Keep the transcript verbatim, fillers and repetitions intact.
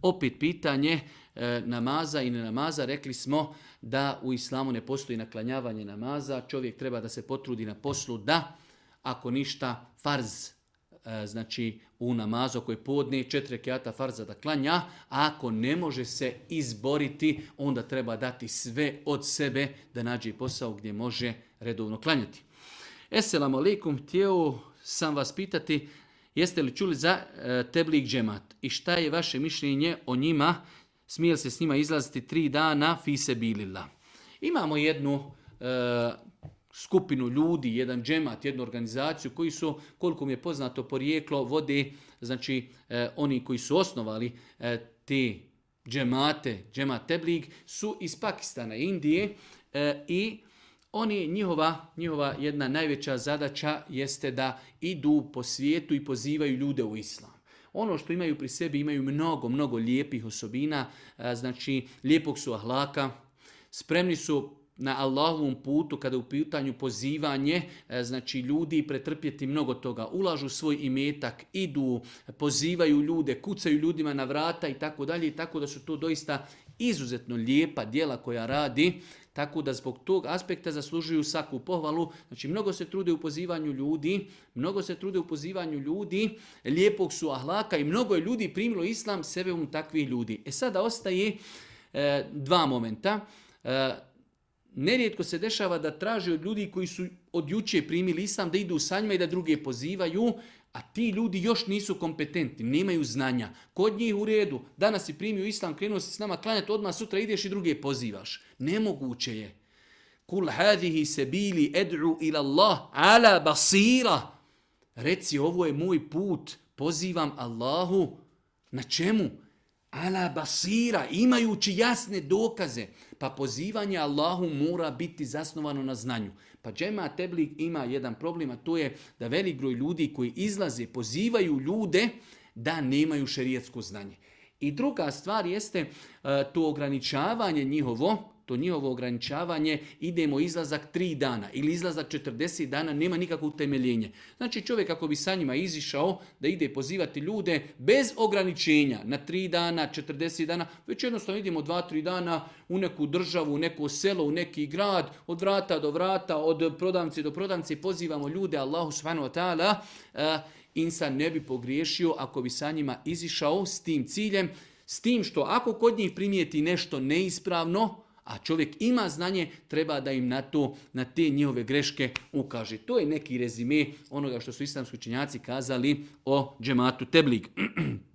Opet pitanje e, namaza i ne namaza. Rekli smo da u islamu ne postoji naklanjavanje namaza. Čovjek treba da se potrudi na poslu da, ako ništa, farz, e, znači u namazu ako je podne, četiri rekata farza da klanja, a ako ne može se izboriti, onda treba dati sve od sebe da nađe posao gdje može redovno klanjati. Esselamu alaikum, htio sam vas pitati, jeste li čuli za e, teblik džemat i šta je vaše mišljenje o njima, smije li se s njima izlaziti tri dana fi sebilillah. Imamo jednu e, skupinu ljudi, jedan džemat, jednu organizaciju koji su, koliko mi je poznato porijeklo, vode, znači e, oni koji su osnovali e, te džemate, džemat teblik, su iz Pakistana, Indije e, i oni, njihova, njihova jedna najveća zadaća jeste da idu po svijetu i pozivaju ljude u islam. Ono što imaju pri sebi, imaju mnogo, mnogo lijepih osobina, znači lijepog su ahlaka, spremni su na Allahovom putu kada u pitanju pozivanje, znači ljudi pretrpjeti mnogo toga, ulažu svoj imetak, idu, pozivaju ljude, kucaju ljudima na vrata i tako dalje, i tako da su to doista izuzetno lijepa djela koja radi, tako da zbog tog aspekta zaslužuju svaku pohvalu. Znači mnogo se trude u pozivanju ljudi, mnogo se trude u pozivanju ljudi, lijepog su ahlaka i mnogo je ljudi primilo islam sebe um takvih ljudi. E sada ostaje e, dva momenta. E, Nerijetko se dešava da traže od ljudi koji su od juče primili islam da idu sa njima i da druge pozivaju, a ti ljudi još nisu kompetentni, nemaju znanja. Kod njih u redu, danas si primio islam, krenuo si s nama klanjati, odmah sutra ideš i druge pozivaš. Nemoguće je. Kul hadihi sebili ed'u ila Allah ala basira. Reci, ovo je moj put, pozivam Allahu. Na čemu? Ala basira, imajući jasne dokaze. Pa pozivanje Allahu mora biti zasnovano na znanju. Pa džemat teblik ima jedan problem, a to je da velik broj ljudi koji izlaze, pozivaju ljude da nemaju šerijatsko znanje. I druga stvar jeste uh, to ograničavanje njihovo, to njihovo ograničavanje, idemo izlazak tri dana ili izlazak četrdeset dana, nema nikakvo utemeljenje. Znači čovjek ako bi sa njima izišao da ide pozivati ljude bez ograničenja na tri dana, četrdeset dana, već jednostavno idemo dva, tri dana u neku državu, u neko selo, u neki grad, od vrata do vrata, od prodavnice do prodavnice, pozivamo ljude, Allahu subhanahu wa ta'ala, uh, insan ne bi pogriješio ako bi sa njima izišao s tim ciljem, s tim što ako kod njih primijeti nešto neispravno, a čovjek ima znanje, treba da im na to, na te njihove greške ukaže. To je neki rezime onoga što su islamski učenjaci kazali o džematu teblik.